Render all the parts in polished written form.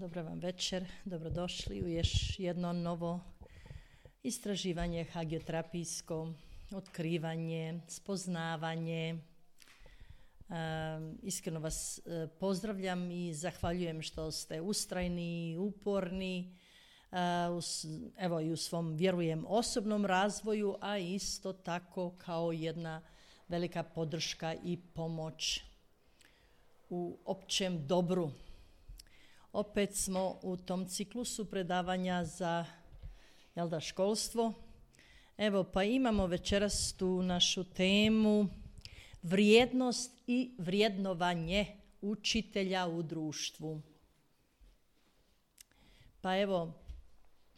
Dobro vam večer, dobrodošli u još jedno novo istraživanje hagioterapijsko, otkrivanje, spoznavanje. Iskreno vas pozdravljam i zahvaljujem što ste ustrajni i uporni, evo i u svom, vjerujem, osobnom razvoju, a isto tako kao jedna velika podrška i pomoć u općem dobru. Opet smo u tom ciklusu predavanja za školstvo. Evo, pa imamo večeras tu našu temu vrijednost i vrijednovanje učitelja u društvu. Pa evo,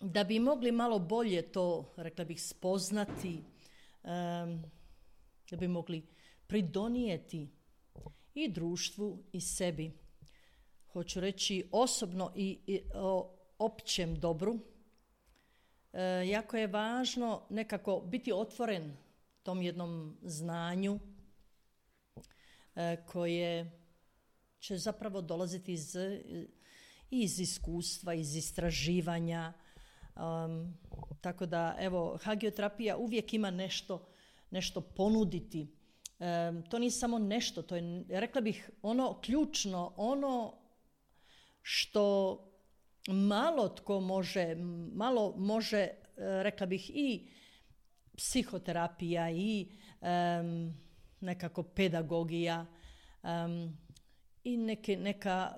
da bi mogli malo bolje to, rekla bih, spoznati, da bi mogli pridonijeti i društvu i sebi, hoću reći osobno i o općem dobru, jako je važno nekako biti otvoren tom jednom znanju koje će zapravo dolaziti iz iskustva, iz istraživanja. Tako da, evo, hagioterapija uvijek ima nešto ponuditi. To nije samo nešto, to je, rekla bih, ono ključno, ono što malo može, rekla bih, i psihoterapija i nekako pedagogija i neka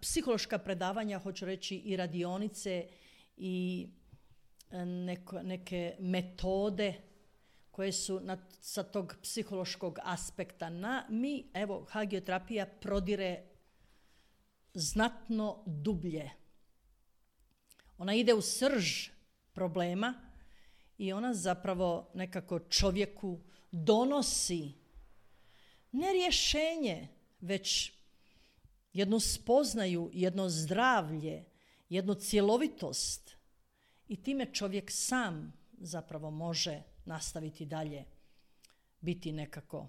psihološka predavanja, hoću reći, i radionice i neke metode koje su sa tog psihološkog aspekta. Evo, hagioterapija prodire znatno dublje. Ona ide u srž problema i ona zapravo nekako čovjeku donosi ne rješenje, već jednu spoznaju, jedno zdravlje, jednu cjelovitost i time čovjek sam zapravo može nastaviti dalje, biti nekako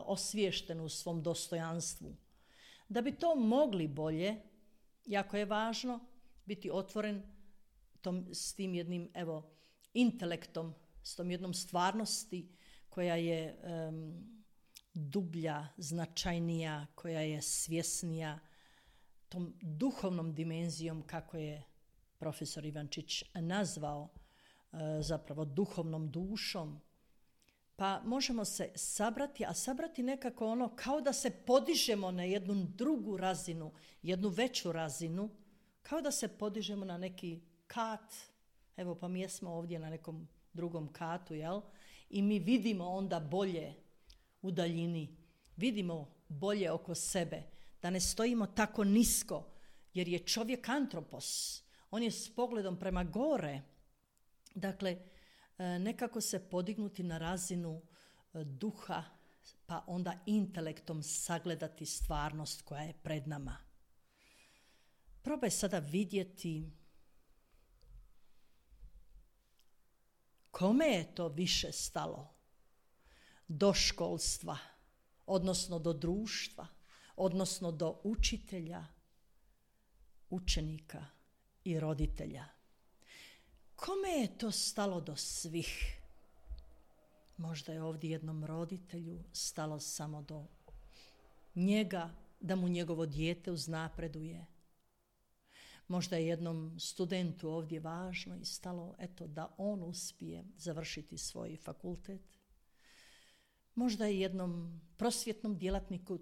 osviješten u svom dostojanstvu. Da bi to mogli bolje, jako je važno biti otvoren s tim jednim, evo, intelektom, s tom jednom stvarnosti koja je dublja, značajnija, koja je svjesnija, tom duhovnom dimenzijom, kako je profesor Ivančić nazvao, zapravo duhovnom dušom. Pa možemo se sabrati nekako ono kao da se podižemo na jednu drugu razinu, jednu veću razinu, kao da se podižemo na neki kat. Evo, pa mi jesmo ovdje na nekom drugom katu, jel? I mi vidimo onda bolje u daljini, vidimo bolje oko sebe, da ne stojimo tako nisko, jer je čovjek antropos, on je s pogledom prema gore. Dakle, nekako se podignuti na razinu duha, pa onda intelektom sagledati stvarnost koja je pred nama. Probaj sada vidjeti kome je to više stalo, do školstva, odnosno do društva, odnosno do učitelja, učenika i roditelja. Kome je to stalo do svih? Možda je ovdje jednom roditelju stalo samo do njega, da mu njegovo dijete uznapreduje. Možda je jednom studentu ovdje važno i stalo, da on uspije završiti svoj fakultet. Možda je jednom prosvjetnom djelatniku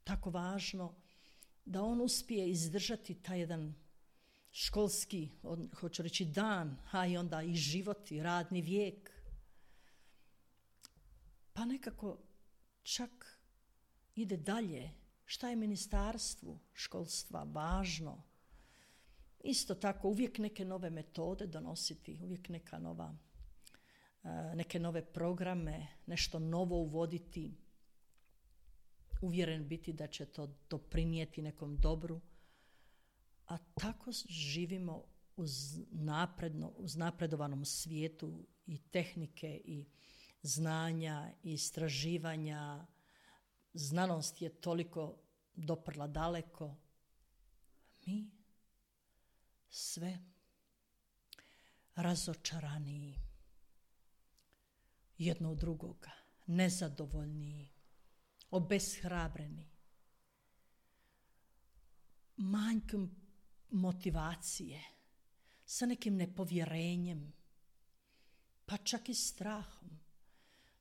tako važno da on uspije izdržati taj jedan školski, hoću reći, dan, a i onda i život i radni vijek. Pa nekako čak ide dalje. Šta je ministarstvu školstva važno? Isto tako uvijek neke nove metode donositi, uvijek neke nove programe, nešto novo uvoditi. Uvjeren biti da će to doprinijeti nekom dobru. A tako živimo uz napredovanom svijetu i tehnike i znanja i istraživanja. Znanost je toliko doprla daleko mi sve razočaraniji jedno od drugoga, nezadovoljniji, obeshrabreni, manjkom motivacije, sa nekim nepovjerenjem, pa čak i strahom,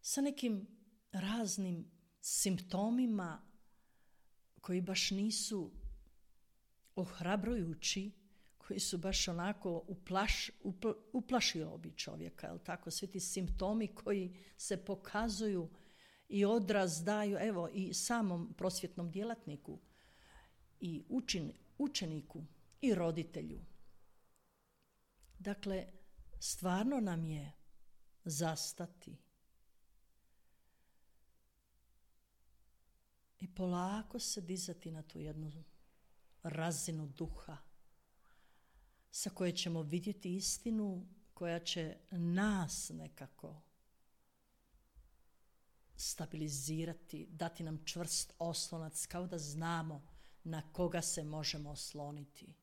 sa nekim raznim simptomima koji baš nisu ohrabrujući, koji su baš onako uplašili bi čovjeka, jel tako? Svi ti simptomi koji se pokazuju i odraz daju, evo, i samom prosvjetnom djelatniku, i učeniku, i roditelju. Dakle, stvarno nam je zastati i polako se dizati na tu jednu razinu duha sa koje ćemo vidjeti istinu koja će nas nekako stabilizirati, dati nam čvrst oslonac, kao da znamo na koga se možemo osloniti.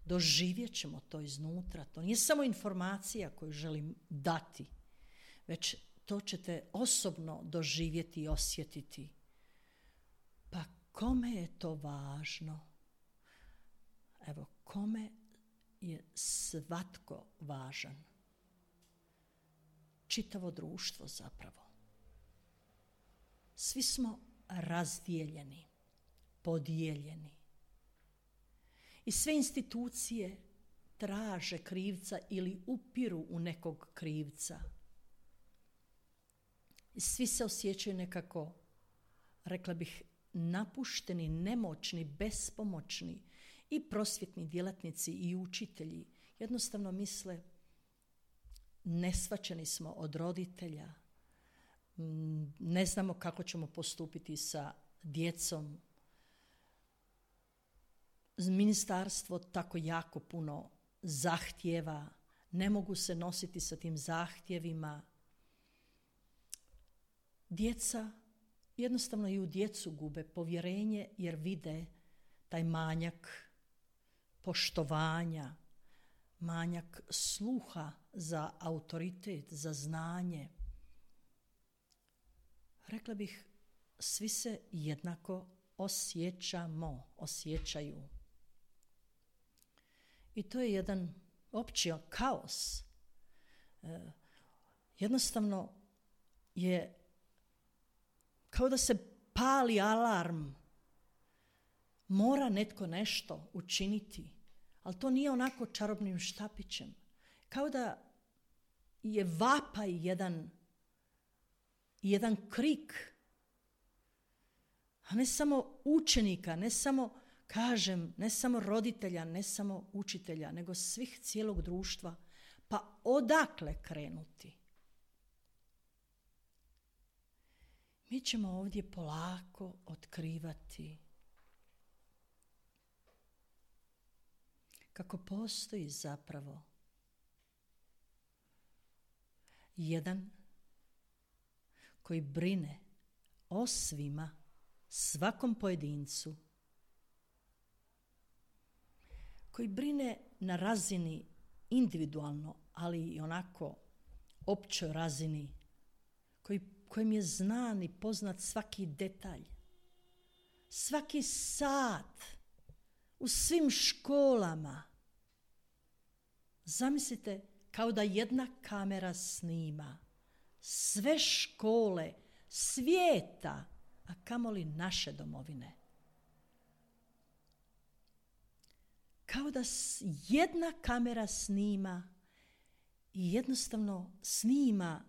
Doživjet ćemo to iznutra. To nije samo informacija koju želim dati, već to ćete osobno doživjeti i osjetiti. Pa kome je to važno? Evo, kome je svatko važan? Čitavo društvo zapravo. Svi smo razdijeljeni, podijeljeni. I sve institucije traže krivca ili upiru u nekog krivca. I svi se osjećaju nekako, rekla bih, napušteni, nemoćni, bespomoćni. I prosvjetni djelatnici i učitelji jednostavno misle, neshvaćeni smo od roditelja, ne znamo kako ćemo postupiti sa djecom. Ministarstvo tako jako puno zahtjeva, ne mogu se nositi sa tim zahtjevima. Djeca jednostavno i u djecu gube povjerenje jer vide taj manjak poštovanja, manjak sluha za autoritet, za znanje. Rekla bih, svi se jednako osjećaju. I to je jedan opći kaos. Jednostavno je kao da se pali alarm. Mora netko nešto učiniti, ali to nije onako čarobnim štapićem. Kao da je vapaj jedan krik, a ne samo učenika, ne samo roditelja, ne samo učitelja, nego svih cijelog društva. Pa odakle krenuti? Mi ćemo ovdje polako otkrivati kako postoji zapravo jedan koji brine o svima, svakom pojedincu, koji brine na razini individualno, ali i onako općoj razini, kojem je znan i poznat svaki detalj, svaki sat, u svim školama. Zamislite kao da jedna kamera snima sve škole svijeta, a kamoli naše domovine. Kao da jedna kamera snima i jednostavno snima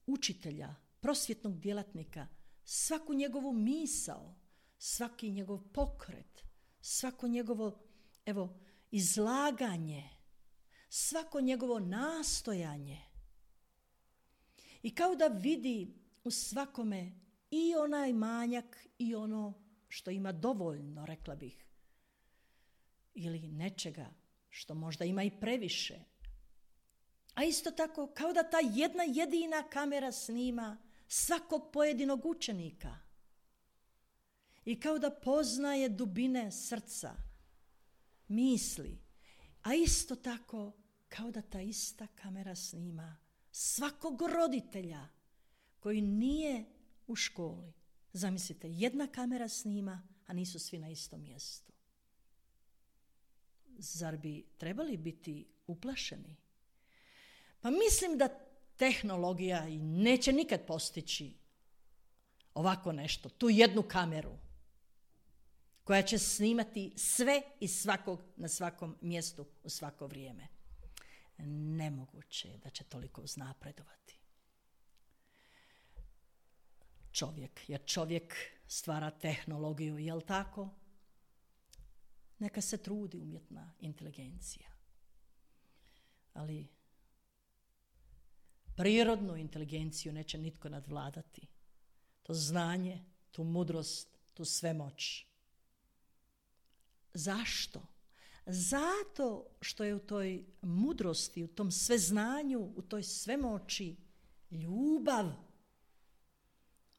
učitelja, prosvjetnog djelatnika, svaku njegovu misao, svaki njegov pokret, svako njegovo izlaganje, svako njegovo nastojanje. I kao da vidi u svakome i onaj manjak i ono što ima dovoljno, rekla bih, ili nečega što možda ima i previše. A isto tako kao da ta jedna jedina kamera snima svakog pojedinog učenika. I kao da poznaje dubine srca, misli. A isto tako kao da ta ista kamera snima svakog roditelja koji nije u školi. Zamislite, jedna kamera snima, a nisu svi na istom mjestu. Zar bi trebali biti uplašeni? Pa mislim da tehnologija neće nikad postići ovako nešto, tu jednu kameru koja će snimati sve i svakog na svakom mjestu u svako vrijeme. Nemoguće je da će toliko uznapredovati. Jer čovjek stvara tehnologiju, jel tako? Neka se trudi umjetna inteligencija. Ali prirodnu inteligenciju neće nitko nadvladati. To znanje, tu mudrost, tu svemoć. Zašto? Zato što je u toj mudrosti, u tom sveznanju, u toj svemoći ljubav.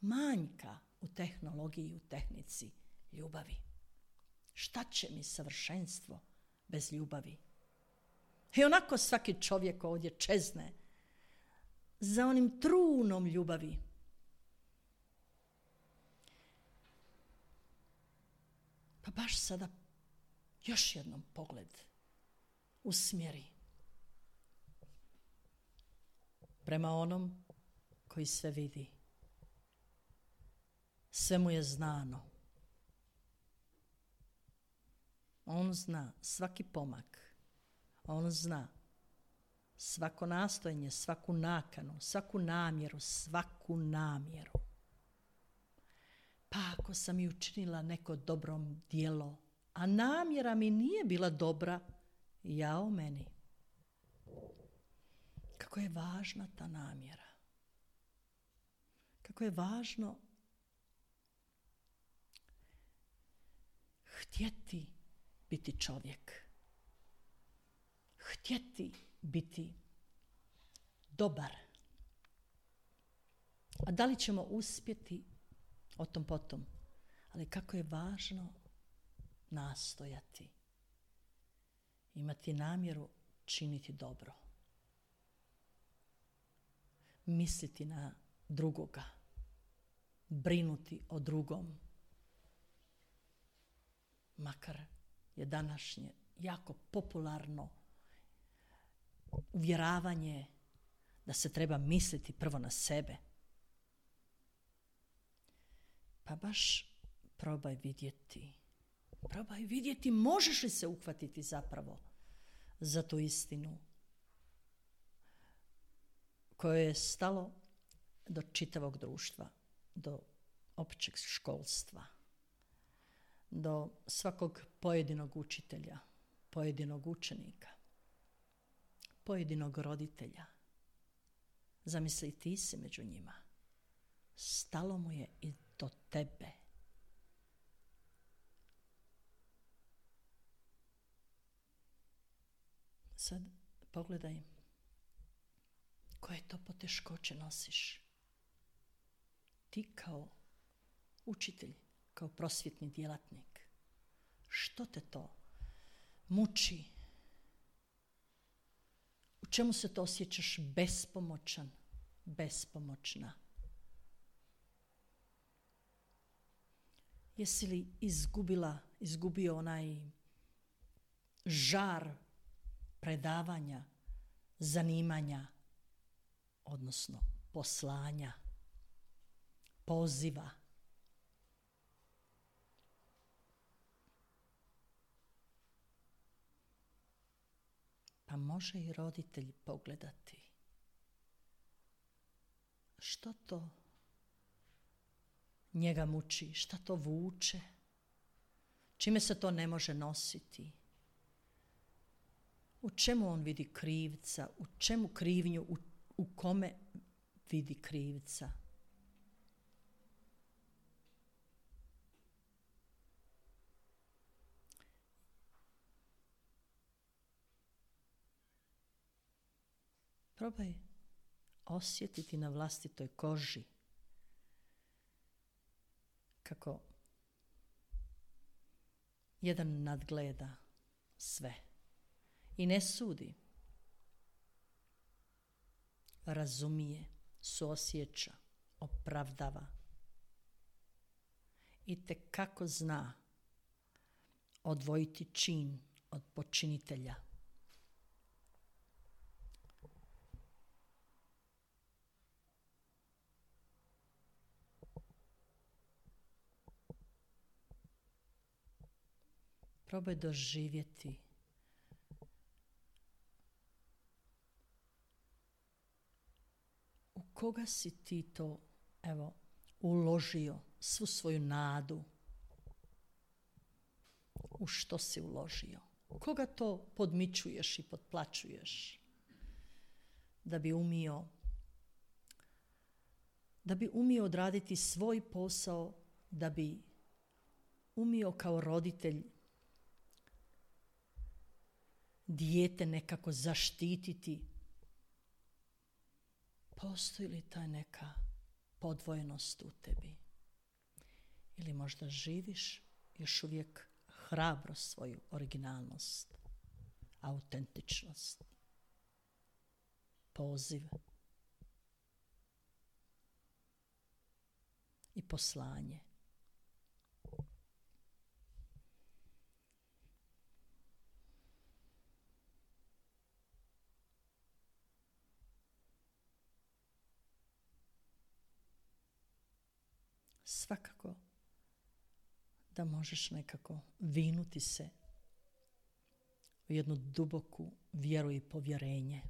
Manjka u tehnologiji, u tehnici ljubavi. Šta će mi savršenstvo bez ljubavi? I onako svaki čovjek ovdje čezne za onim trunom ljubavi. Pa baš sada još jednom pogled usmjeri prema onom koji sve vidi. Sve mu je znano. On zna svaki pomak. On zna svako nastojanje, svaku nakanu, svaku namjeru. Pa ako sam i učinila neko dobro djelo, a namjera mi nije bila dobra, jao meni. Kako je važna ta namjera. Kako je važno htjeti biti čovjek. Htjeti biti dobar. A da li ćemo uspjeti, o tom potom. Ali kako je važno nastojati. Imati namjeru činiti dobro. Misliti na drugoga. Brinuti o drugom. Makar je današnje jako popularno uvjeravanje da se treba misliti prvo na sebe. Pa baš probaj vidjeti možeš li se uhvatiti zapravo za tu istinu koje je stalo do čitavog društva, do općeg školstva, do svakog pojedinog učitelja, pojedinog učenika, pojedinog roditelja. Zamisli, ti si među njima. Stalo mu je i do tebe. Sad pogledaj koje to poteškoće nosiš. Ti kao učitelj, kao prosvjetni djelatnik. Što te to muči? U čemu se to osjećaš bespomoćan, bespomoćna? Jesi li izgubio onaj žar predavanja, zanimanja, odnosno poslanja, poziva? Pa može i roditelj pogledati. Što to njega muči, šta to vuče, čime se to ne može nositi, u čemu on vidi krivca, u čemu krivnju, u kome vidi krivca. Probaj osjetiti na vlastitoj koži kako jedan nadgleda sve i ne sudi. Razumije, suosjeća, opravdava i tekako zna odvojiti čin od počinitelja. Probaj doživjeti u koga si ti to, uložio svu svoju nadu. U što si uložio? Koga to podmićuješ i potplaćuješ? Da bi umio odraditi svoj posao, da bi umio kao roditelj dijete nekako zaštititi. Postoji li ta neka podvojenost u tebi? Ili možda živiš još uvijek hrabro svoju originalnost, autentičnost, poziv i poslanje. Svakako da možeš nekako vinuti se u jednu duboku vjeru i povjerenje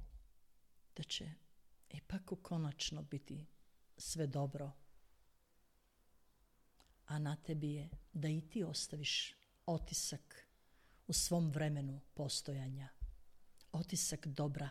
da će ipak konačno biti sve dobro. A na tebi je da i ti ostaviš otisak u svom vremenu postojanja. Otisak dobra.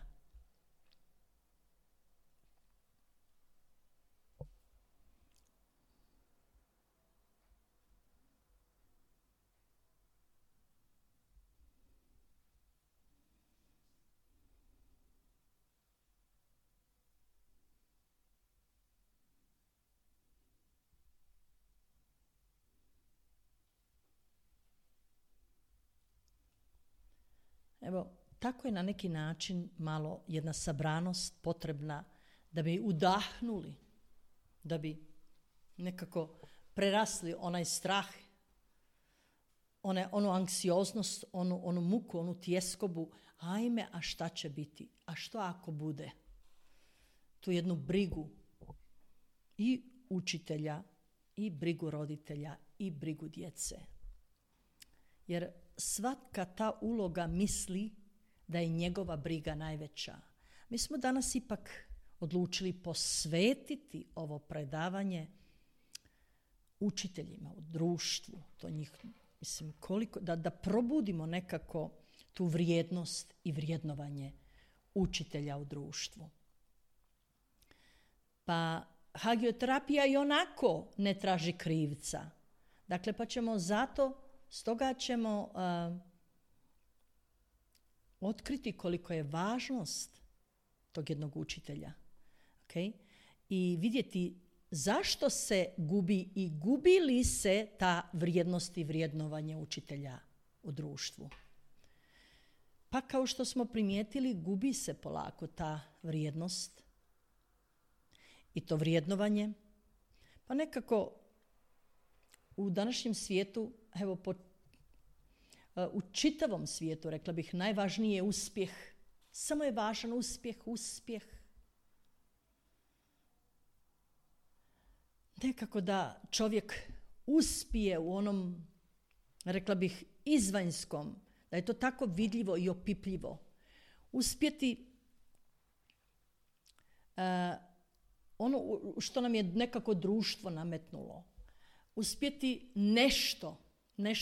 Evo, tako je na neki način malo jedna sabranost potrebna da bi udahnuli, da bi nekako prerasli onaj strah, onu anksioznost, onu muku, onu tjeskobu. Ajme, a šta će biti? A što ako bude? Tu jednu brigu i učitelja, i brigu roditelja, i brigu djece. Jer svaka ta uloga misli da je njegova briga najveća. Mi smo danas ipak odlučili posvetiti ovo predavanje učiteljima u društvu. To njih, koliko, da probudimo nekako tu vrijednost i vrijednovanje učitelja u društvu. Pa hagioterapija i onako ne traži krivca. Dakle, pa ćemo stoga ćemo otkriti koliko je važnost tog jednog učitelja. Okay? I vidjeti zašto se gubi i gubi li se ta vrijednost i vrijednovanje učitelja u društvu. Pa kao što smo primijetili, gubi se polako ta vrijednost i to vrijednovanje. Pa nekako u današnjem svijetu, u čitavom svijetu, rekla bih, najvažniji je uspjeh. Samo je važan uspjeh. Nekako da čovjek uspije u onom, rekla bih, izvanjskom, da je to tako vidljivo i opipljivo. Uspjeti ono što nam je nekako društvo nametnulo. Uspjeti nešto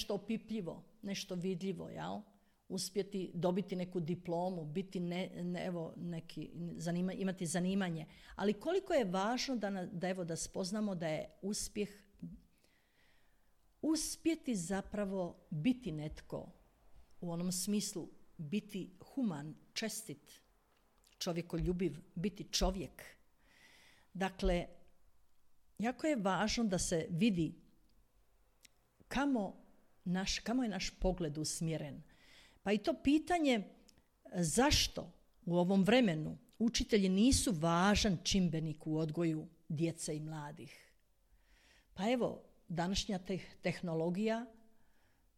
opipljivo, nešto vidljivo, jel? Uspjeti dobiti neku diplomu, biti imati zanimanje. Ali koliko je važno da spoznamo da je uspjeti zapravo biti netko u onom smislu, biti human, čestit, čovjekoljubiv, biti čovjek. Dakle, jako je važno da se vidi kamo je naš pogled usmjeren. Pa i to pitanje zašto u ovom vremenu učitelji nisu važan čimbenik u odgoju djece i mladih. Pa evo, današnja tehnologija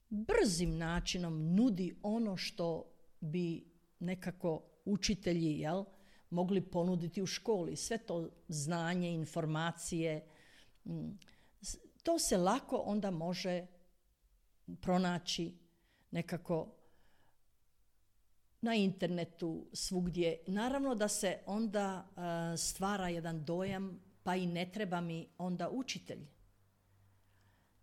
brzim načinom nudi ono što bi nekako učitelji mogli ponuditi u školi. Sve to znanje, informacije, to se lako onda može pronaći nekako na internetu, svugdje. Naravno da se onda stvara jedan dojam, pa i ne treba mi onda učitelj.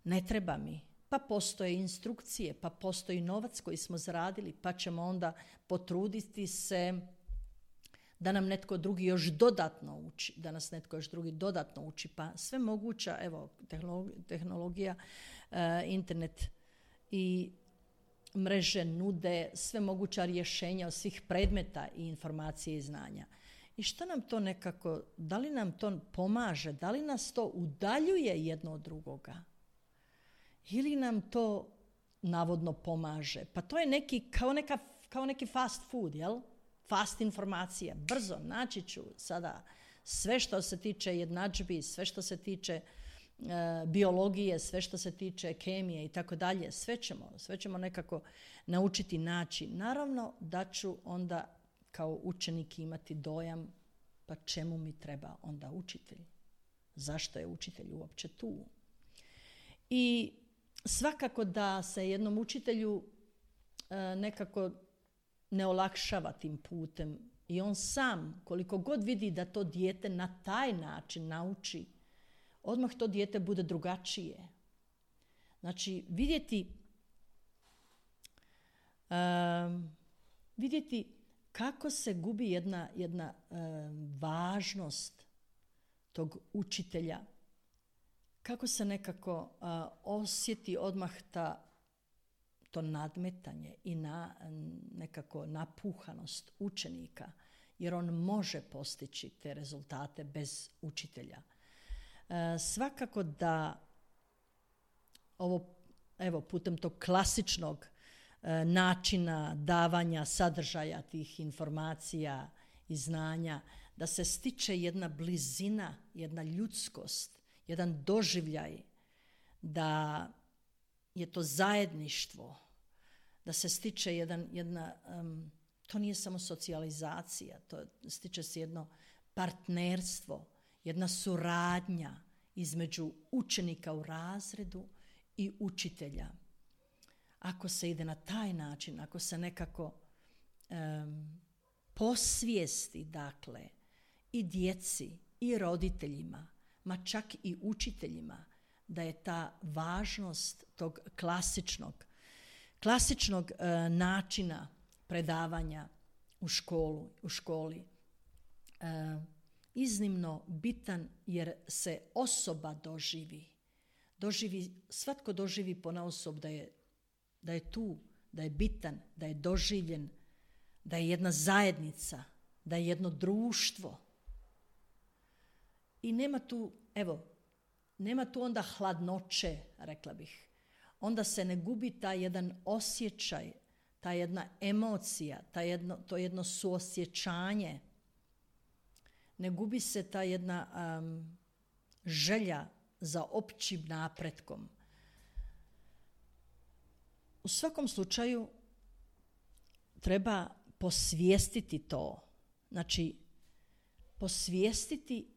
Ne treba mi. Pa postoje instrukcije, pa postoji novac koji smo zaradili, pa ćemo onda potruditi se da nam netko drugi još dodatno uči, da nas netko još drugi dodatno uči. Pa sve moguća, evo, tehnologija, internet i mreže nude sve moguća rješenja od svih predmeta i informacije i znanja. I što nam to nekako, da li nam to pomaže, da li nas to udaljuje jedno od drugoga? Ili nam to navodno pomaže? Pa to je kao neki fast food, jel? Fast informacija, brzo, naći ću sada sve što se tiče jednadžbi, sve što se tiče biologije, sve što se tiče kemije i tako dalje, sve ćemo nekako naučiti naći. Naravno da ću onda kao učenik imati dojam, pa čemu mi treba onda učitelj? Zašto je učitelj uopće tu? I svakako da se jednom učitelju nekako ne olakšava tim putem i on sam, koliko god vidi da to dijete na taj način nauči, odmah to dijete bude drugačije. Znači, vidjeti kako se gubi jedna važnost tog učitelja, kako se nekako osjeti odmah to nadmetanje i nekako napuhanost učenika, jer on može postići te rezultate bez učitelja. Svakako da ovo, evo, putem tog klasičnog načina davanja sadržaja tih informacija i znanja, da se stiče jedna blizina, jedna ljudskost, jedan doživljaj, da je to zajedništvo, da se stiče to nije samo socijalizacija, stiče se jedno partnerstvo, jedna suradnja između učenika u razredu i učitelja. Ako se ide na taj način, ako se nekako posvijesti, dakle, i djeci i roditeljima, ma čak i učiteljima, da je ta važnost tog klasičnog načina predavanja u školi iznimno bitan, jer se osoba doživi, svatko doživi ponaosob da je tu, da je bitan, da je doživljen, da je jedna zajednica, da je jedno društvo. I nema tu onda hladnoće, rekla bih. Onda se ne gubi taj jedan osjećaj, ta jedna emocija, to jedno suosjećanje. Ne gubi se ta jedna želja za općim napretkom. U svakom slučaju treba posvijestiti to. Znači, posvijestiti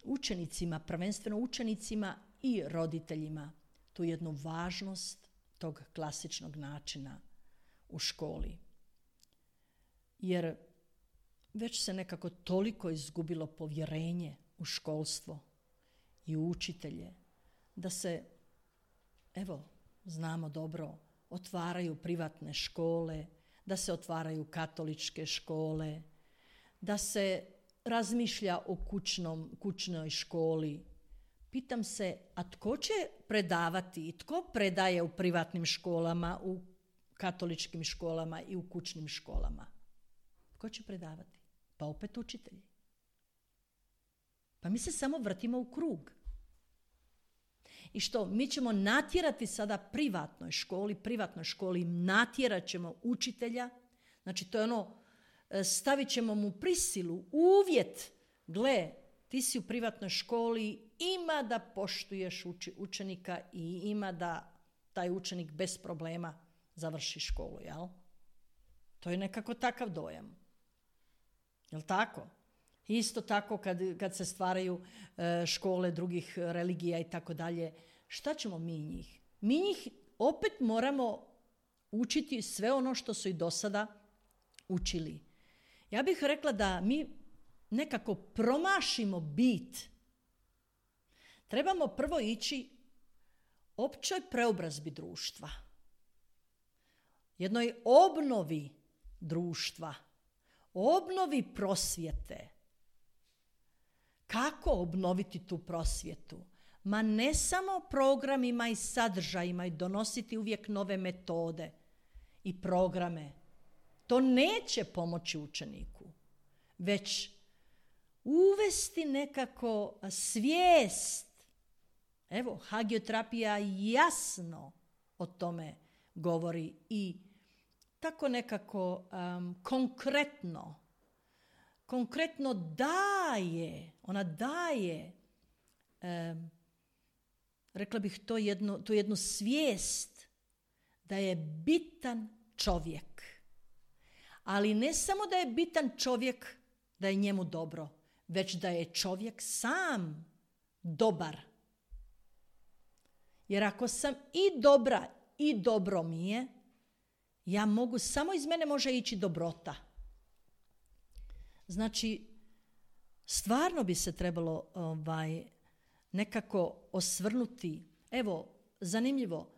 učenicima, prvenstveno učenicima i roditeljima, tu jednu važnost tog klasičnog načina u školi. Jer već se nekako toliko izgubilo povjerenje u školstvo i u učitelje, da se, znamo dobro, otvaraju privatne škole, da se otvaraju katoličke škole, da se razmišlja o kućnoj školi. Pitam se, a tko će predavati i tko predaje u privatnim školama, u katoličkim školama i u kućnim školama? Tko će predavati? Pa opet učitelji. Pa mi se samo vrtimo u krug. I što? Mi ćemo natjerati sada privatnoj školi natjerat ćemo učitelja, znači to je ono, stavit ćemo mu prisilu, uvjet, gle, ti si u privatnoj školi, ima da poštuješ učenika i ima da taj učenik bez problema završi školu, jel? To je nekako takav dojam. Jel tako? Isto tako kad se stvaraju škole drugih religija i tako dalje, šta ćemo mi njih? Mi njih opet moramo učiti sve ono što su i do sada učili. Ja bih rekla da mi nekako promašimo bit. Trebamo prvo ići općoj preobrazbi društva. Jednoj obnovi društva. Obnovi prosvjete. Kako obnoviti tu prosvjetu? Ma ne samo programima i sadržajima i donositi uvijek nove metode i programe. To neće pomoći učeniku. Već uvesti nekako svijest. Evo, hagioterapija jasno o tome govori i tako nekako konkretno daje, ona daje, rekla bih tu jednu svijest da je bitan čovjek. Ali ne samo da je bitan čovjek, da je njemu dobro, već da je čovjek sam dobar. Jer ako sam i dobra i dobro mi je, ja mogu, samo iz mene može ići dobrota. Znači, stvarno bi se trebalo nekako osvrnuti. Evo, zanimljivo,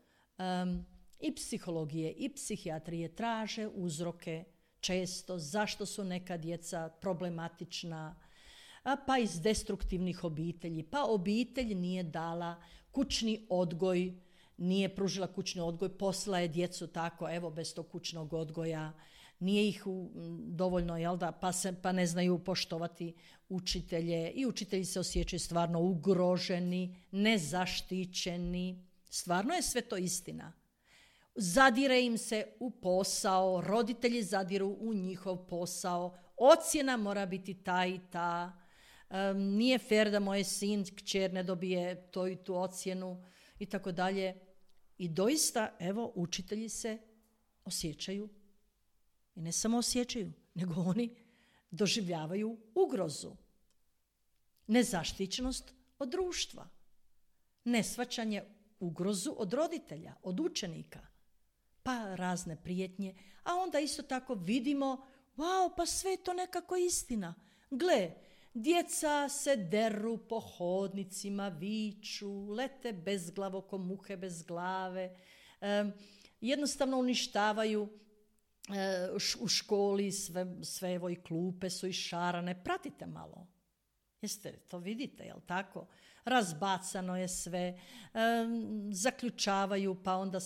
i psihologije i psihijatrije traže uzroke često zašto su neka djeca problematična, pa iz destruktivnih obitelji, pa obitelj nije dala kućni odgoj, nije pružila kućni odgoj, poslala je djecu tako, evo, bez tog kućnog odgoja, nije ih dovoljno, jel da, pa ne znaju poštovati učitelje i učitelji se osjećaju stvarno ugroženi, nezaštićeni. Stvarno je sve to istina. Zadire im se u posao, roditelji zadiru u njihov posao, ocjena mora biti ta i ta, nije fer da moj sin, kćer ne dobije to i tu ocjenu i tako dalje. I doista, evo, učitelji se osjećaju, i ne samo osjećaju, nego oni doživljavaju ugrozu, nezaštićenost od društva, neshvaćanje ugrozu od roditelja, od učenika, pa razne prijetnje, a onda isto tako vidimo, wow, pa sve je to nekako istina. Gle, djeca se deru po hodnicima, viču, lete bezglavo ko muhe bez glave, jednostavno uništavaju u školi, sve evo i klupe su išarane. Pratite malo. Jeste to vidite, jel tako? Razbacano je sve, zaključavaju, pa onda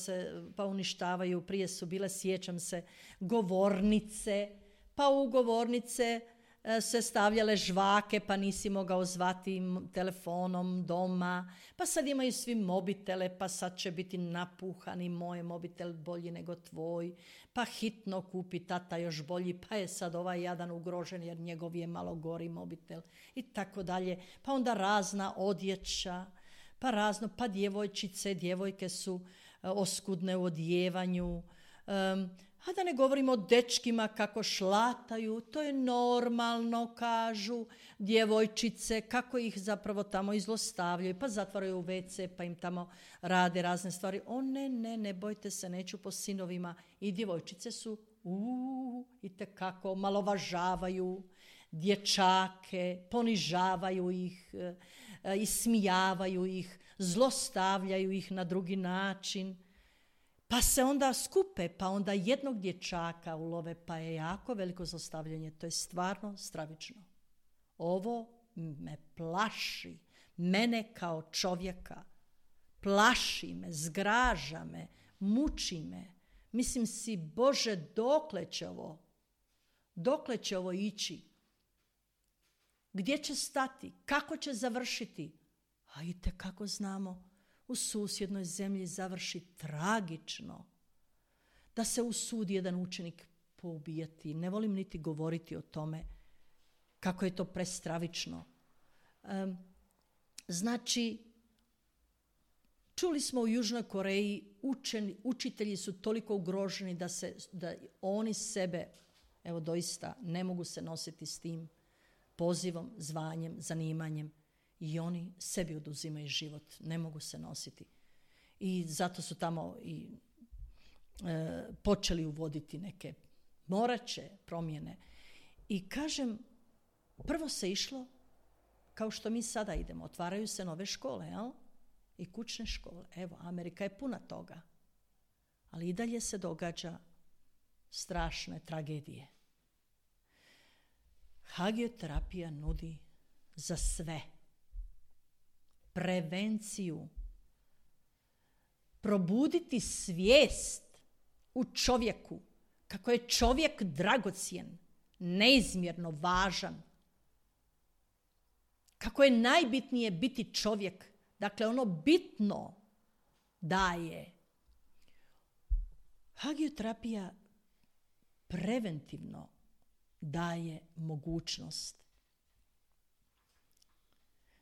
pa uništavaju. Prije su bile, sjećam se, govornice, pa u govornice se stavljale žvake, pa nisi mogao zvati telefonom doma, pa sad imaju svi mobitele, pa sad će biti napuhani, moj mobitel bolji nego tvoj, pa hitno kupi tata još bolji, pa je sad ovaj jadan ugrožen jer njegov je malo gori mobitel i tako dalje. Pa onda razna odjeća, pa djevojke su oskudne u odjevanju, a da ne govorimo o dečkima kako šlataju, to je normalno, kažu djevojčice, kako ih zapravo tamo izlostavljaju, pa zatvaraju u WC, pa im tamo rade razne stvari. O ne, bojte se, neću po sinovima. I djevojčice su itekako omalovažavaju dječake, ponižavaju ih, ismijavaju ih, zlostavljaju ih na drugi način. Pa se onda skupe, pa onda jednog dječaka ulove, pa je jako veliko zlostavljanje. To je stvarno stravično. Ovo me plaši, mene kao čovjeka. Plaši me, zgraža me, muči me. Mislim si, Bože, dokle će ovo ići? Gdje će stati? Kako će završiti? A itekako znamo, u susjednoj zemlji završi tragično, da se usudi jedan učenik poubijati. Ne volim niti govoriti o tome kako je to prestravično. Znači, čuli smo u Južnoj Koreji, učitelji su toliko ugroženi da oni sebe, evo doista, ne mogu se nositi s tim pozivom, zvanjem, zanimanjem i oni sebi oduzimaju život, ne mogu se nositi. I zato su tamo i počeli uvoditi neke moraće promjene. I kažem, prvo se išlo kao što mi sada idemo, otvaraju se nove škole, jel? I kućne škole. Evo, Amerika je puna toga. Ali i dalje se događa strašne tragedije. Hagioterapija nudi za sve. Prevenciju. Probuditi svijest u čovjeku. Kako je čovjek dragocjen, neizmjerno važan. Kako je najbitnije biti čovjek. Dakle, ono bitno daje. Hagioterapija preventivno daje mogućnost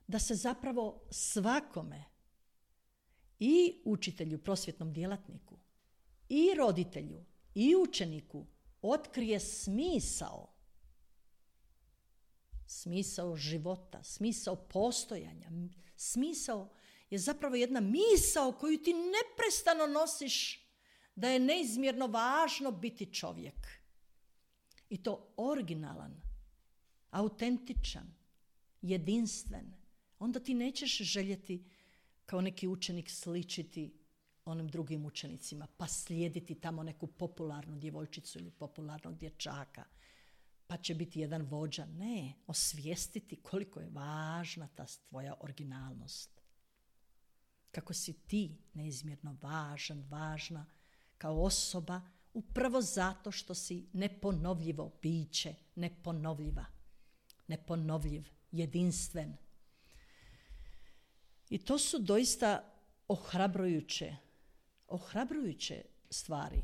da se zapravo svakome, i učitelju, prosvjetnom djelatniku, i roditelju, i učeniku otkrije smisao. Smisao života, smisao postojanja. Smisao je zapravo jedna misao koju ti neprestano nosiš, da je neizmjerno važno biti čovjek. I to originalan, autentičan, jedinstven. Onda ti nećeš željeti kao neki učenik sličiti onim drugim učenicima, pa slijediti tamo neku popularnu djevojčicu ili popularnog dječaka, pa će biti jedan vođa. Ne, osvijestiti koliko je važna ta tvoja originalnost. Kako si ti neizmjerno važna kao osoba, upravo zato što si neponovljivo biće, neponovljiv, jedinstven. I to su doista ohrabrujuće stvari.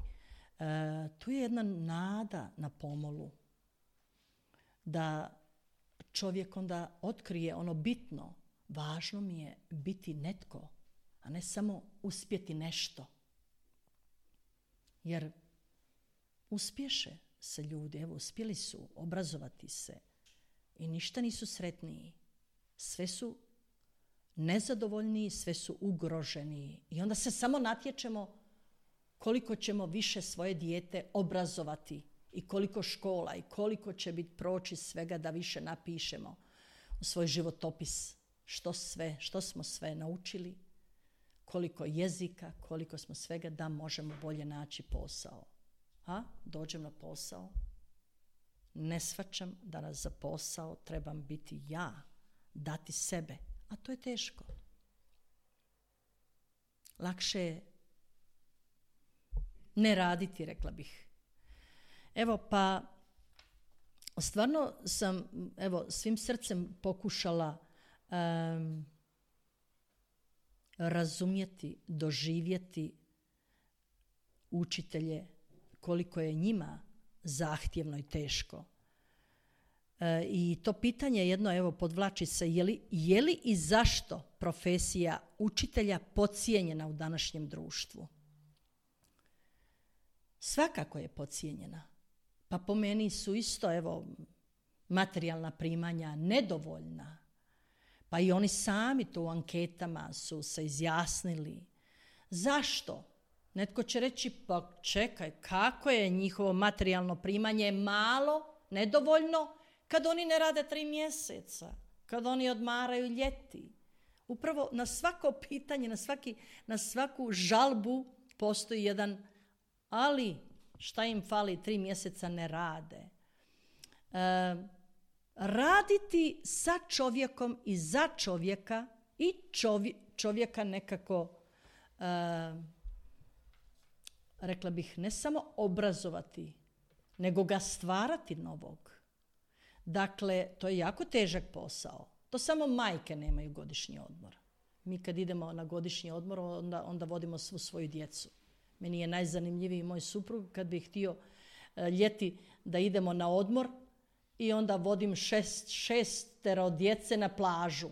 Tu je jedna nada na pomolu, da čovjek onda otkrije ono bitno. Važno mi je biti netko, a ne samo uspjeti nešto. Jer uspješe se ljudi, evo uspjeli su obrazovati se i ništa nisu sretniji. Sve su nezadovoljniji, sve su ugroženiji. I onda se samo natječemo koliko ćemo više svoje dijete obrazovati i koliko škola i koliko će biti proći svega da više napišemo u svoj životopis što smo sve naučili, koliko jezika, koliko smo svega da možemo bolje naći posao. A dođem na posao, ne shvaćam da nas za posao trebam biti ja, dati sebe, a to je teško. Lakše je ne raditi, rekla bih. Evo, pa stvarno sam svim srcem pokušala razumjeti, doživjeti učitelje, koliko je njima zahtjevno i teško. I to pitanje jedno, podvlači se, je li i zašto profesija učitelja podcijenjena u današnjem društvu? Svakako je podcijenjena. Pa po meni su isto, materijalna primanja nedovoljna. Pa i oni sami to u anketama su se izjasnili. Zašto? Netko će reći, pa čekaj, kako je njihovo materijalno primanje malo, nedovoljno, kad oni ne rade 3 mjeseca, kad oni odmaraju ljeti. Upravo na svako pitanje, na svaku žalbu postoji jedan, ali šta im fali, 3 mjeseca ne rade. Raditi sa čovjekom i za čovjeka i čovjeka nekako, rekla bih, ne samo obrazovati, nego ga stvarati novog. Dakle, to je jako težak posao. To samo majke nemaju godišnji odmor. Mi kad idemo na godišnji odmor, onda vodimo svu svoju djecu. Meni je najzanimljiviji moj suprug kad bih htio ljeti da idemo na odmor i onda vodim šestero djece na plažu.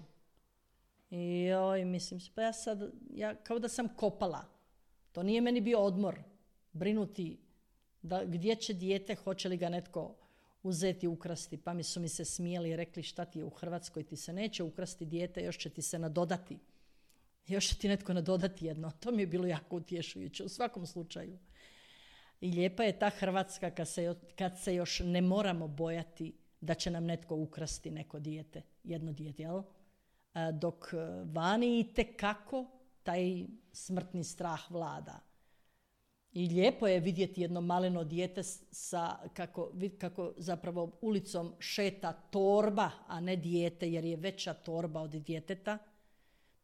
I mislim, pa ja kao da sam kopala. To nije meni bio odmor. Brinuti gdje će dijete, hoće li ga netko uzeti, ukrasti. Pa su mi se smijeli i rekli šta ti je u Hrvatskoj, ti se neće ukrasti dijete, još će ti se nadodati. Još će ti netko nadodati jedno. To mi je bilo jako utješujuće u svakom slučaju. I lijepa je ta Hrvatska kad se još ne moramo bojati da će nam netko ukrasti neko dijete, jedno dijete, jel? Dok vani itekako taj smrtni strah vlada. I lijepo je vidjeti jedno maleno dijete kako zapravo ulicom šeta torba, a ne dijete, jer je veća torba od djeteta.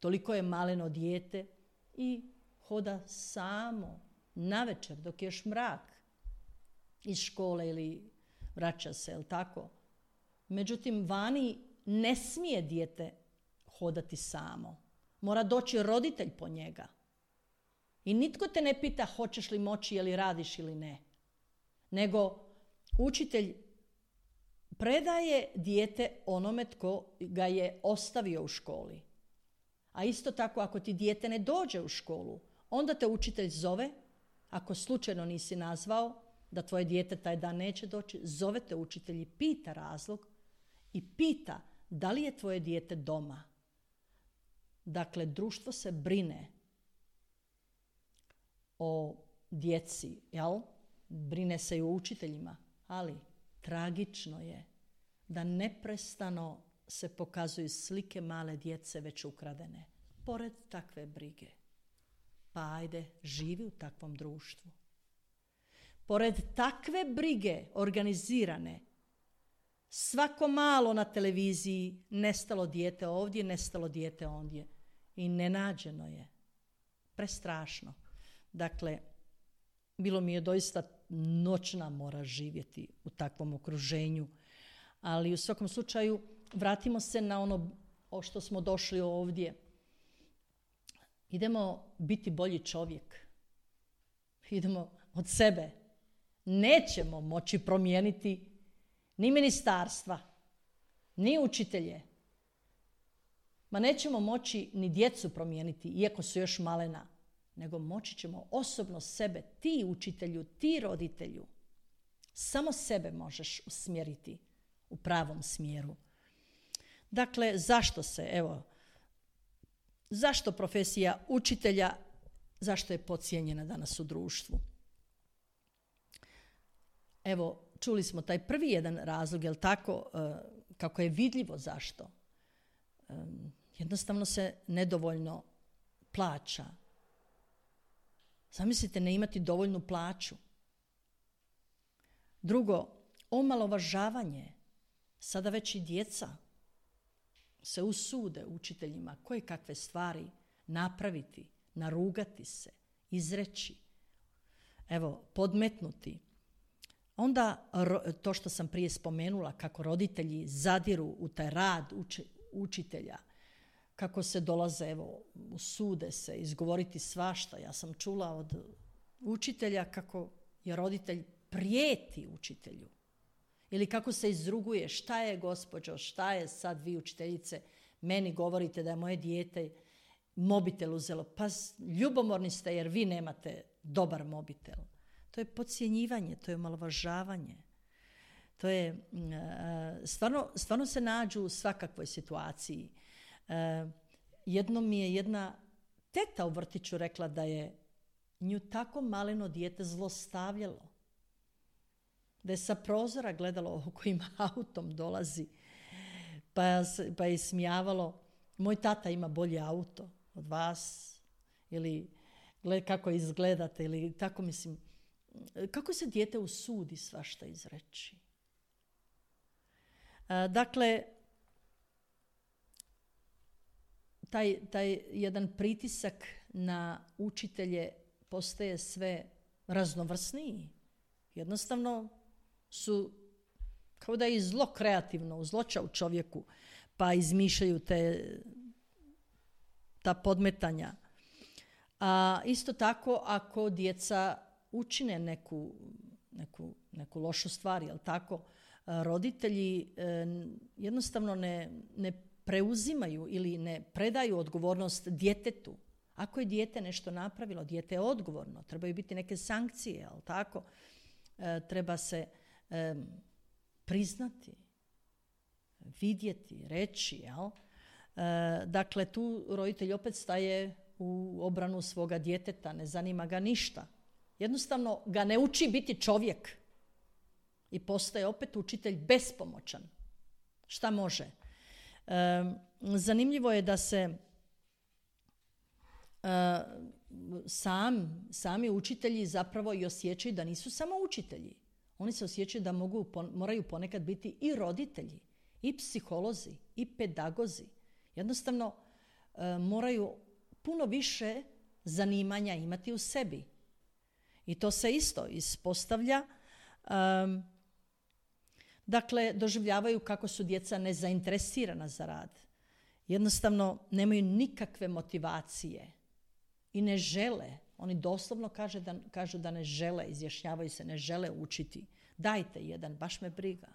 Toliko je maleno dijete i hoda samo navečer dok je još mrak iz škole ili vraća se, jel tako? Međutim, vani ne smije dijete hodati samo. Mora doći roditelj po njega. I nitko te ne pita hoćeš li moći, je li radiš ili ne. Nego učitelj predaje dijete onome tko ga je ostavio u školi. A isto tako ako ti dijete ne dođe u školu, onda te učitelj zove, ako slučajno nisi nazvao da tvoje dijete taj dan neće doći, zove te učitelj i pita razlog i pita da li je tvoje dijete doma. Dakle, društvo se brine o djeci, jel? Brine se i o učiteljima, ali tragično je da neprestano se pokazuju slike male djece već ukradene. Pored takve brige, pa ajde, živi u takvom društvu. Pored takve brige organizirane, svako malo na televiziji nestalo dijete ovdje, nestalo dijete ondje. I nenađeno je. Prestrašno. Dakle, bilo mi je doista noćna mora živjeti u takvom okruženju. Ali u svakom slučaju vratimo se na ono o što smo došli ovdje. Idemo biti bolji čovjek. Idemo od sebe. Nećemo moći promijeniti ni ministarstva, ni učitelje. Ma nećemo moći ni djecu promijeniti, iako su još malena. Nego moći ćemo osobno sebe, ti učitelju, ti roditelju. Samo sebe možeš usmjeriti u pravom smjeru. Dakle, zašto profesija učitelja, zašto je podcijenjena danas u društvu? Evo, čuli smo taj prvi jedan razlog, jel tako, kako je vidljivo zašto. Jednostavno se nedovoljno plaća. Zamislite, ne imati dovoljnu plaću. Drugo, omalovažavanje. Sada već i djeca se usude učiteljima koje kakve stvari napraviti, narugati se, izreći, podmetnuti. Onda to što sam prije spomenula, kako roditelji zadiru u taj rad učitelja, kako se dolaze, usude se izgovoriti svašta. Ja sam čula od učitelja kako je roditelj prijeti učitelju. Ili kako se izruguje, šta je gospođo, šta je sad vi učiteljice, meni govorite da je moje dijete mobitel uzelo. Pa ljubomorni ste jer vi nemate dobar mobitel. To je podcjenjivanje, to je omalovažavanje. To je, stvarno se nađu u svakakvoj situaciji. Jednom mi je jedna teta u vrtiću rekla da je nju tako maleno dijete zlostavljalo. Da je sa prozora gledalo kojim autom dolazi. Pa je smijavalo, moj tata ima bolje auto od vas. Ili gled kako izgledate. Ili tako mislim. Kako se dijete usudi svašta izreći? Dakle, taj jedan pritisak na učitelje postaje sve raznovrsniji. Jednostavno su kao da je zlo kreativno, uzloča u čovjeku, pa izmišljaju te ta podmetanja. A isto tako ako djeca učine neku lošu stvar, jel tako, roditelji jednostavno ne preuzimaju ili ne predaju odgovornost djetetu. Ako je dijete nešto napravilo, dijete je odgovorno, trebaju biti neke sankcije, jel tako? Treba se priznati, vidjeti, reći, jel? Dakle, tu roditelj opet staje u obranu svoga djeteta, ne zanima ga ništa. Jednostavno ga ne uči biti čovjek i postaje opet učitelj bespomoćan. Šta može? Zanimljivo je da se sami učitelji zapravo i osjećaju da nisu samo učitelji. Oni se osjećaju da moraju ponekad biti i roditelji, i psiholozi, i pedagozi. Jednostavno moraju puno više zanimanja imati u sebi. I to se isto ispostavlja. Dakle, doživljavaju kako su djeca nezainteresirana za rad. Jednostavno nemaju nikakve motivacije i ne žele. Oni doslovno kažu da ne žele, izjašnjavaju se, ne žele učiti. Dajte jedan, baš me briga.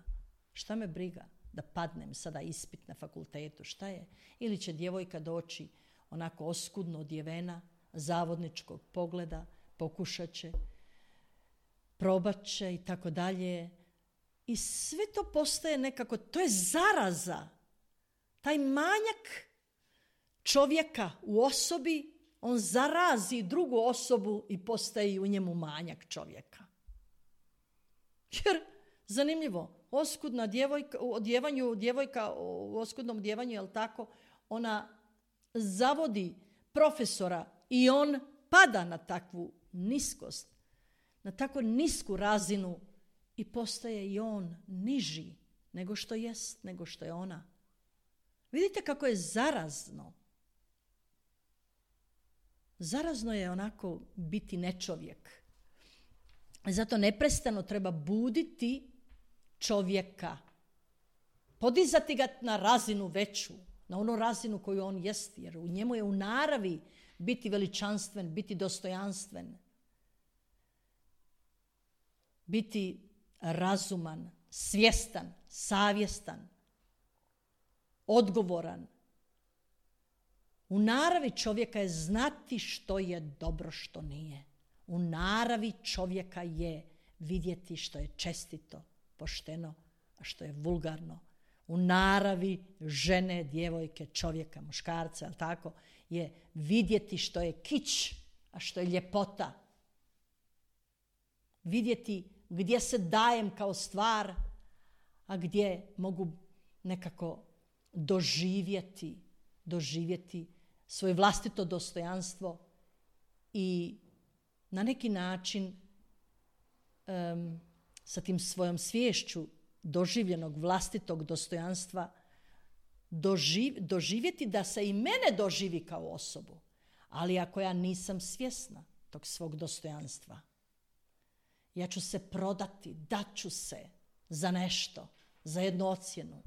Šta me briga? Da padnem sada ispit na fakultetu, šta je? Ili će djevojka doći onako oskudno odjevena, zavodničkog pogleda, pokušat će, probat će i tako dalje. I sve to postaje nekako, to je zaraza. Taj manjak čovjeka u osobi, on zarazi drugu osobu i postaje i u njemu manjak čovjeka. Jer, zanimljivo, oskudna djevojka, djevojka u oskudnom odjevanju, jel tako, ona zavodi profesora i on pada na takvu niskost, na tako nisku razinu i postaje i on niži nego što jest, nego što je ona. Vidite kako je zarazno. Zarazno je onako biti nečovjek. Zato neprestano treba buditi čovjeka. Podizati ga na razinu veću, na onu razinu koju on jest, jer u njemu je u naravi biti veličanstven, biti dostojanstven, biti razuman, svjestan, savjestan, odgovoran. U naravi čovjeka je znati što je dobro, što nije. U naravi čovjeka je vidjeti što je čestito, pošteno, a što je vulgarno. U naravi žene, djevojke, čovjeka, muškarca, ali tako, je vidjeti što je kič, a što je ljepota. Vidjeti gdje se dajem kao stvar, a gdje mogu nekako doživjeti svoje vlastito dostojanstvo i na neki način sa tim svojom sviješću doživljenog vlastitog dostojanstva doživjeti da se i mene doživi kao osobu. Ali ako ja nisam svjesna tog svog dostojanstva, ja ću se prodati, daću se za nešto, za jednu ocjenu.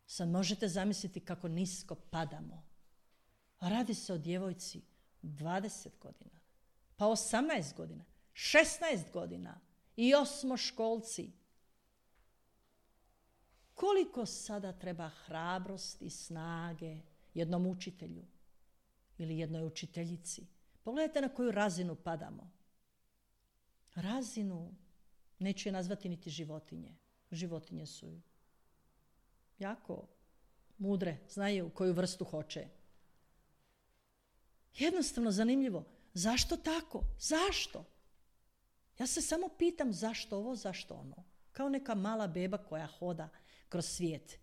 Sad možete zamisliti kako nisko padamo. A radi se o djevojci 20 godina, pa 18 godina, 16 godina i osmoškolci. Koliko sada treba hrabrosti i snage jednom učitelju ili jednoj učiteljici? Pogledajte na koju razinu padamo. Razinu, neću je nazvati niti životinje. Životinje su jako mudre, znaju koju vrstu hoće. Jednostavno zanimljivo. Zašto tako? Zašto? Ja se samo pitam zašto ovo, zašto ono. Kao neka mala beba koja hoda kroz svijet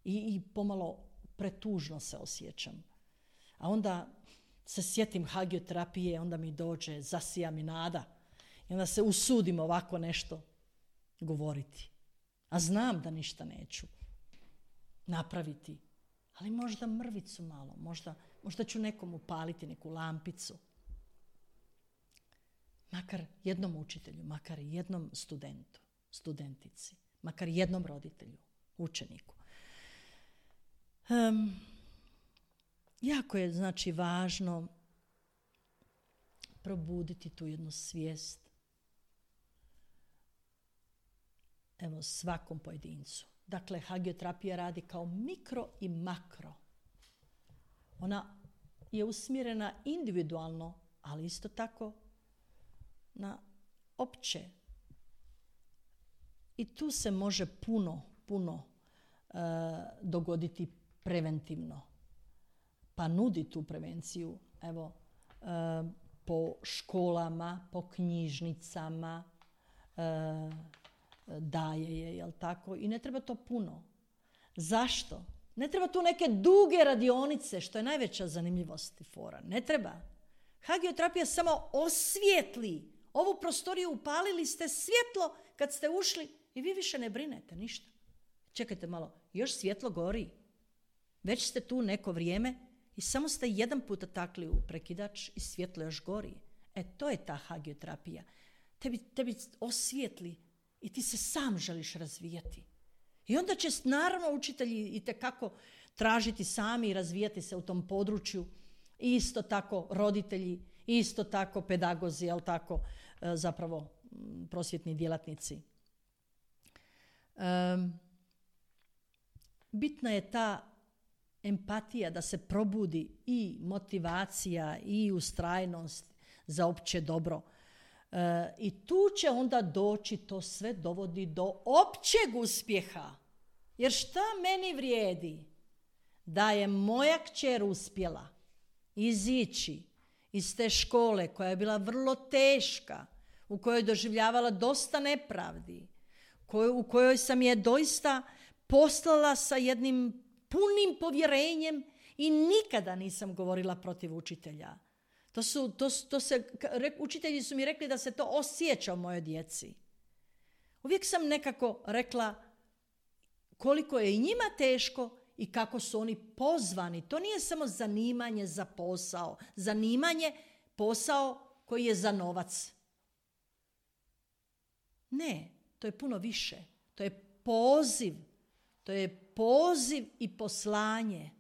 i pomalo pretužno se osjećam. A onda se sjetim hagioterapije, onda mi dođe, zasija mi nada. I onda se usudim ovako nešto govoriti. A znam da ništa neću napraviti. Ali možda mrvicu malo, možda ću nekom upaliti neku lampicu. Makar jednom učitelju, makar jednom studentu, studentici, makar jednom roditelju, učeniku. jako je znači važno probuditi tu jednu svijest. Evo, svakom pojedincu. Dakle, hagioterapija radi kao mikro i makro. Ona je usmjerena individualno, ali isto tako na opće. I tu se može puno dogoditi preventivno. Pa nudi tu prevenciju, evo, po školama, po knjižnicama, daje je, jel tako? I ne treba to puno. Zašto? Ne treba tu neke duge radionice, što je najveća zanimljivost i fora. Ne treba. Hagioterapija samo osvijetli. Ovu prostoriju upalili ste svjetlo kad ste ušli i vi više ne brinete ništa. Čekajte malo, još svjetlo gori. Već ste tu neko vrijeme i samo ste jedan puta takli u prekidač i svjetlo još gori. To je ta hagioterapija. Tebi osvijetli i ti se sam želiš razvijati. I onda će naravno učitelji itekako tražiti sami i razvijati se u tom području. Isto tako roditelji, isto tako pedagozi, jel tako, zapravo prosvjetni djelatnici. Bitna je ta empatija da se probudi i motivacija i ustrajnost za opće dobro. I tu će onda doći, to sve dovodi do općeg uspjeha. Jer šta meni vrijedi da je moja kćer uspjela izići iz te škole koja je bila vrlo teška, u kojoj je doživljavala dosta nepravdi, u kojoj sam je doista poslala sa jednim punim povjerenjem i nikada nisam govorila protiv učitelja. Učitelji su mi rekli da se to osjeća u mojoj djeci. Uvijek sam nekako rekla koliko je i njima teško i kako su oni pozvani. To nije samo zanimanje za posao. Zanimanje, posao koji je za novac. Ne, to je puno više. To je poziv. To je poziv i poslanje.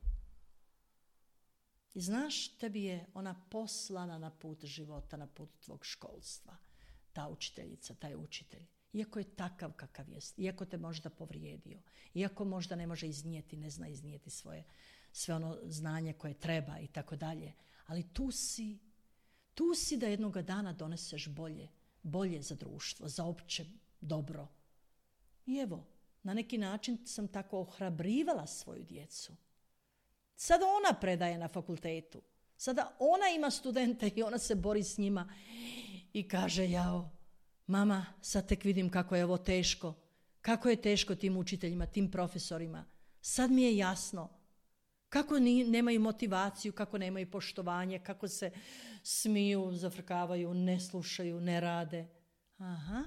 I znaš, tebi je ona poslana na put života, na put tvog školstva. Ta učiteljica, taj učitelj. Iako je takav kakav jest, iako te možda povrijedio, iako možda ne može iznijeti, ne zna iznijeti sve ono znanje koje treba i tako dalje. Ali tu si da jednoga dana doneseš bolje za društvo, za opće dobro. I evo, na neki način sam tako ohrabrivala svoju djecu. Sada ona predaje na fakultetu. Sada ona ima studente i ona se bori s njima i kaže, jao, mama, sad tek vidim kako je ovo teško. Kako je teško tim učiteljima, tim profesorima. Sad mi je jasno kako nemaju motivaciju, kako nemaju poštovanje, kako se smiju, zafrkavaju, ne slušaju, ne rade. Aha.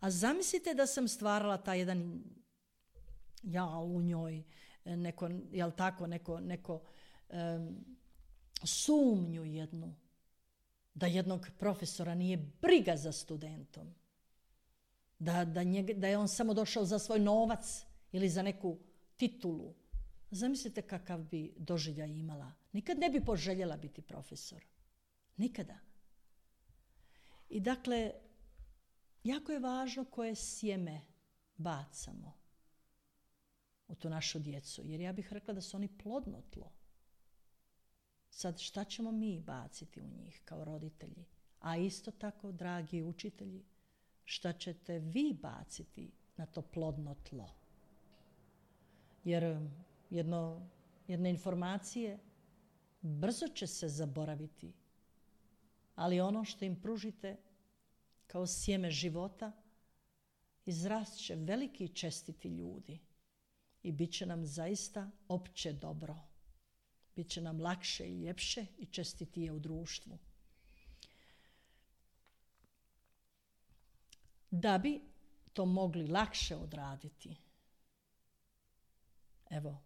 A zamislite da sam stvarala taj jedan u njoj, neko, jel tako, neko sumnju jednu, da jednog profesora nije briga za studentom, da je on samo došao za svoj novac ili za neku titulu. Zamislite kakav bi doživljaj imala. Nikad ne bi poželjela biti profesor. Nikada. I dakle, jako je važno koje sjeme bacamo u tu našu djecu. Jer ja bih rekla da su oni plodno tlo. Sad šta ćemo mi baciti u njih kao roditelji? A isto tako, dragi učitelji, šta ćete vi baciti na to plodno tlo? Jer jedne informacije brzo će se zaboraviti. Ali ono što im pružite kao sjeme života, izrast će veliki i čestiti ljudi. I bit će nam zaista opće dobro. Biće nam lakše i ljepše i čestitije u društvu. Da bi to mogli lakše odraditi, evo,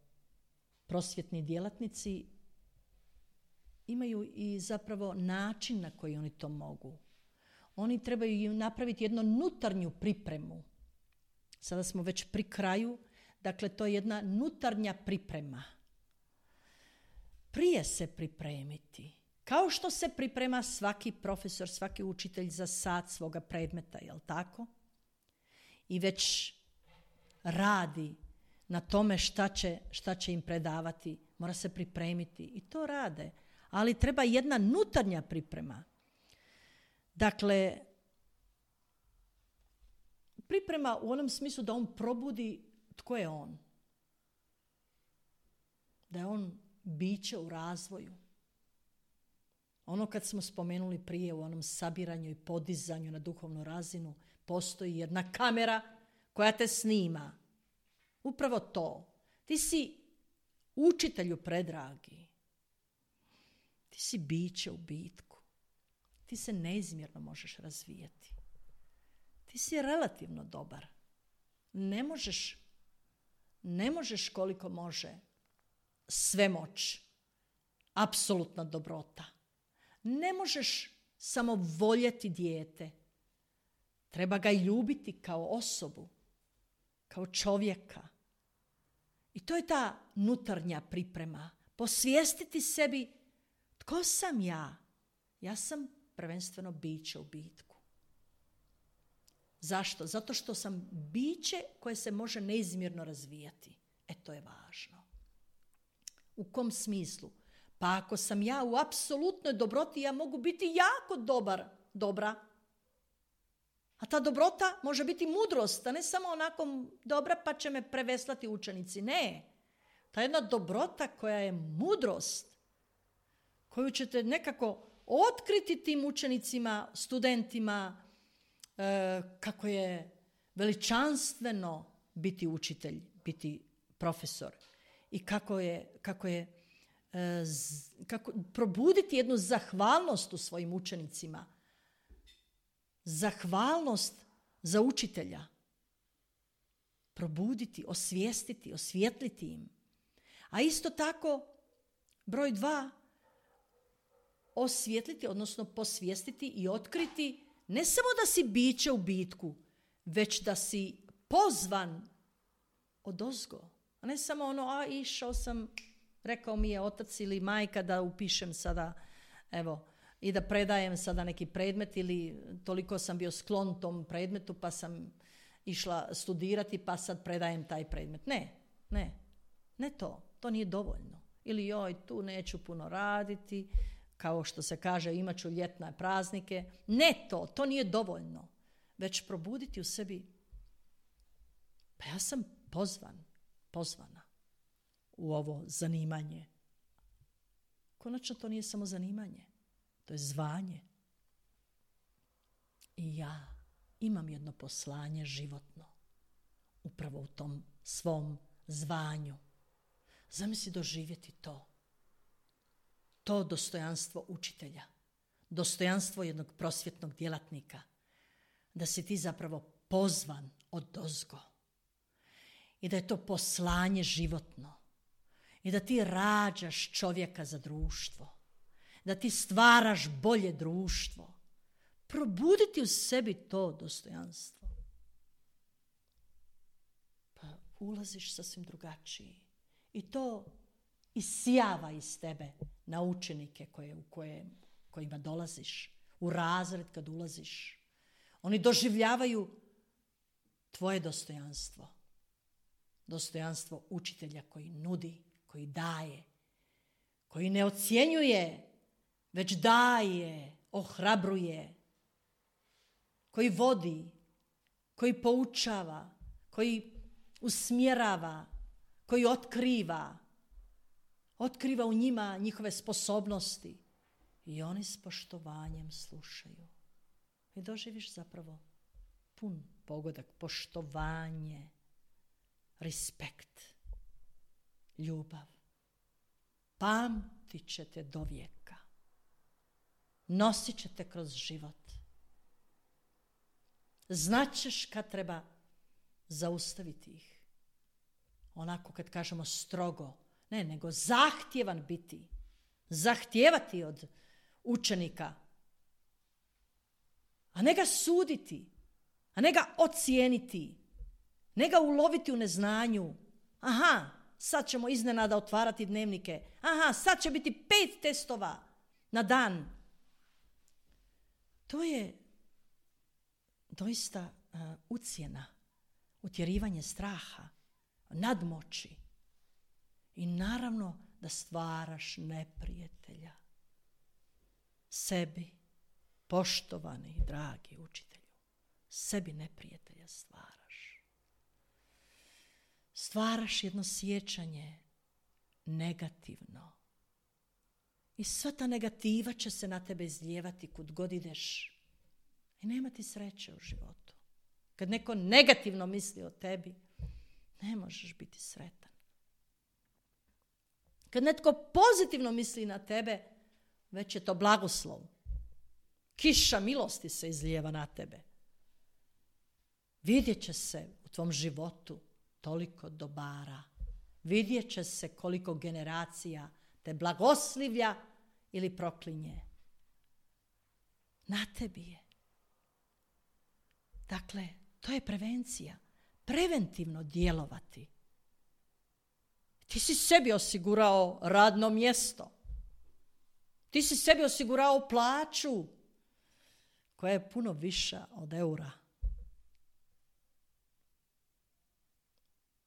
prosvjetni djelatnici imaju i zapravo način na koji oni to mogu. Oni trebaju napraviti jednu unutarnju pripremu. Sada smo već pri kraju, dakle to je jedna unutarnja priprema. prije se pripremiti. Kao što se priprema svaki profesor, svaki učitelj za sat svoga predmeta, jel tako? I već radi na tome šta će im predavati. Mora se pripremiti i to rade. Ali treba jedna unutarnja priprema. Dakle, priprema u onom smislu da on probudi tko je on. Da je on biće u razvoju. Ono kad smo spomenuli prije u onom sabiranju i podizanju na duhovnu razinu, postoji jedna kamera koja te snima. Upravo to. Ti si učitelju predragi. Ti si biće u bitku. Ti se neizmjerno možeš razvijati. Ti si relativno dobar. Ne možeš koliko može svemoć. Apsolutna dobrota. Ne možeš samo voljeti dijete. Treba ga ljubiti kao osobu, kao čovjeka. I to je ta unutarnja priprema. Posvijestiti sebi tko sam ja. Ja sam prvenstveno biće u bitku. Zašto? Zato što sam biće koje se može neizmjerno razvijati. To je važno. U kom smislu? Pa ako sam ja u apsolutnoj dobroti, ja mogu biti jako dobra. A ta dobrota može biti mudrost, a ne samo onako dobra pa će me preveslati učenici. Ne. Ta jedna dobrota koja je mudrost, koju ćete nekako otkriti tim učenicima, studentima, kako je veličanstveno biti učitelj, biti profesor i kako probuditi jednu zahvalnost u svojim učenicima. Zahvalnost za učitelja. Probuditi, osvijestiti, osvijetliti im. A isto tako, broj 2, osvijetliti, odnosno posvijestiti i otkriti ne samo da si biće u bitku, već da si pozvan odozgo. A ne samo išao sam, rekao mi je otac ili majka da upišem sada, i da predajem sada neki predmet ili toliko sam bio sklon tom predmetu pa sam išla studirati pa sad predajem taj predmet. Ne to nije dovoljno. Ili tu neću puno raditi, kao što se kaže imat ću ljetne praznike. Ne to nije dovoljno. Već probuditi u sebi, pa ja sam pozvana u ovo zanimanje. Konačno to nije samo zanimanje. To je zvanje. I ja imam jedno poslanje životno. Upravo u tom svom zvanju. Zamisli doživjeti to. To dostojanstvo učitelja. Dostojanstvo jednog prosvjetnog djelatnika. Da si ti zapravo pozvan odozgo. I da je to poslanje životno. I da ti rađaš čovjeka za društvo. Da ti stvaraš bolje društvo. Probuditi u sebi to dostojanstvo. Pa ulaziš sasvim drugačiji. I to isijava iz tebe na učenike kojima dolaziš. U razred kad ulaziš. Oni doživljavaju tvoje dostojanstvo. Dostojanstvo učitelja koji nudi, koji daje, koji ne ocjenjuje, već daje, ohrabruje, koji vodi, koji poučava, koji usmjerava, koji otkriva u njima njihove sposobnosti i oni s poštovanjem slušaju. I doživiš zapravo pun pogodak, poštovanje, respekt, ljubav. Pamtit ćete do vijeka. Nosit ćete kroz život. Znaćeš kad treba zaustaviti ih. Onako kad kažemo strogo, ne, nego zahtjevan biti. Zahtijevati od učenika. A ne ga suditi. A ne ga ocijeniti. Ne ga uloviti u neznanju. Aha, sad ćemo iznenada otvarati dnevnike. Aha, sad će biti 5 testova na dan. To je doista ucjena, utjerivanje straha, nadmoći. I naravno da stvaraš neprijatelja sebi, poštovani i dragi učitelju. Sebi neprijatelja stvaraš. Stvaraš jedno sjećanje negativno. I sva ta negativa će se na tebe izlijevati kud god ideš. I nema ti sreće u životu. Kad neko negativno misli o tebi, ne možeš biti sretan. Kad netko pozitivno misli na tebe, već je to blagoslov. Kiša milosti se izlijeva na tebe. Vidjet će se u tvom životu toliko dobara. Vidjet će se koliko generacija te blagoslivlja ili proklinje. Na tebi je. Dakle, to je prevencija. Preventivno djelovati. Ti si sebi osigurao radno mjesto. Ti si sebi osigurao plaću koja je puno viša od eura.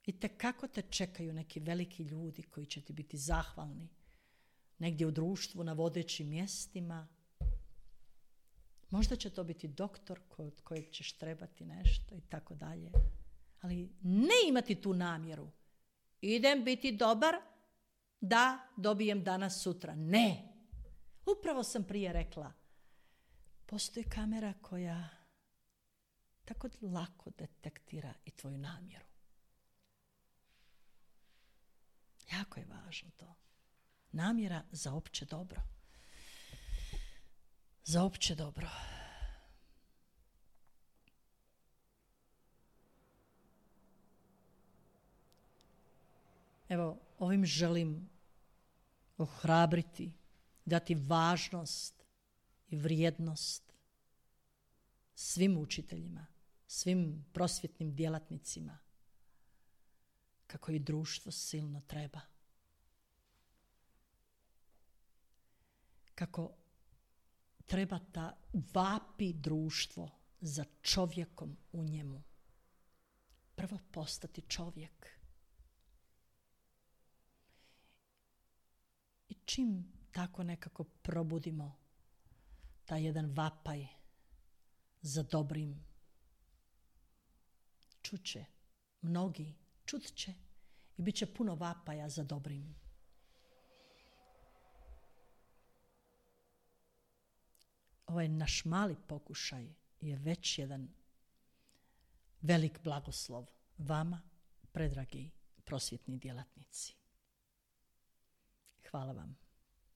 I tekako te čekaju neki veliki ljudi koji će ti biti zahvalni. Negdje u društvu, na vodećim mjestima. Možda će to biti doktor kod kojeg ćeš trebati nešto i tako dalje. Ali ne imati tu namjeru. Idem biti dobar da dobijem danas sutra. Ne. Upravo sam prije rekla. Postoji kamera koja tako lako detektira i tvoju namjeru. Jako je važno to. Namjera za opće dobro. Za opće dobro. Evo, ovim želim ohrabriti, dati važnost i vrijednost svim učiteljima, svim prosvjetnim djelatnicima, kako i društvo silno treba. Kako treba ta vapi društvo za čovjekom u njemu. Prvo postati čovjek. I čim tako nekako probudimo taj jedan vapaj za dobrim, čuće mnogi, čut će i bit će puno vapaja za dobrim. Ovaj naš mali pokušaj je već jedan velik blagoslov vama, predragi prosvjetni djelatnici. Hvala vam.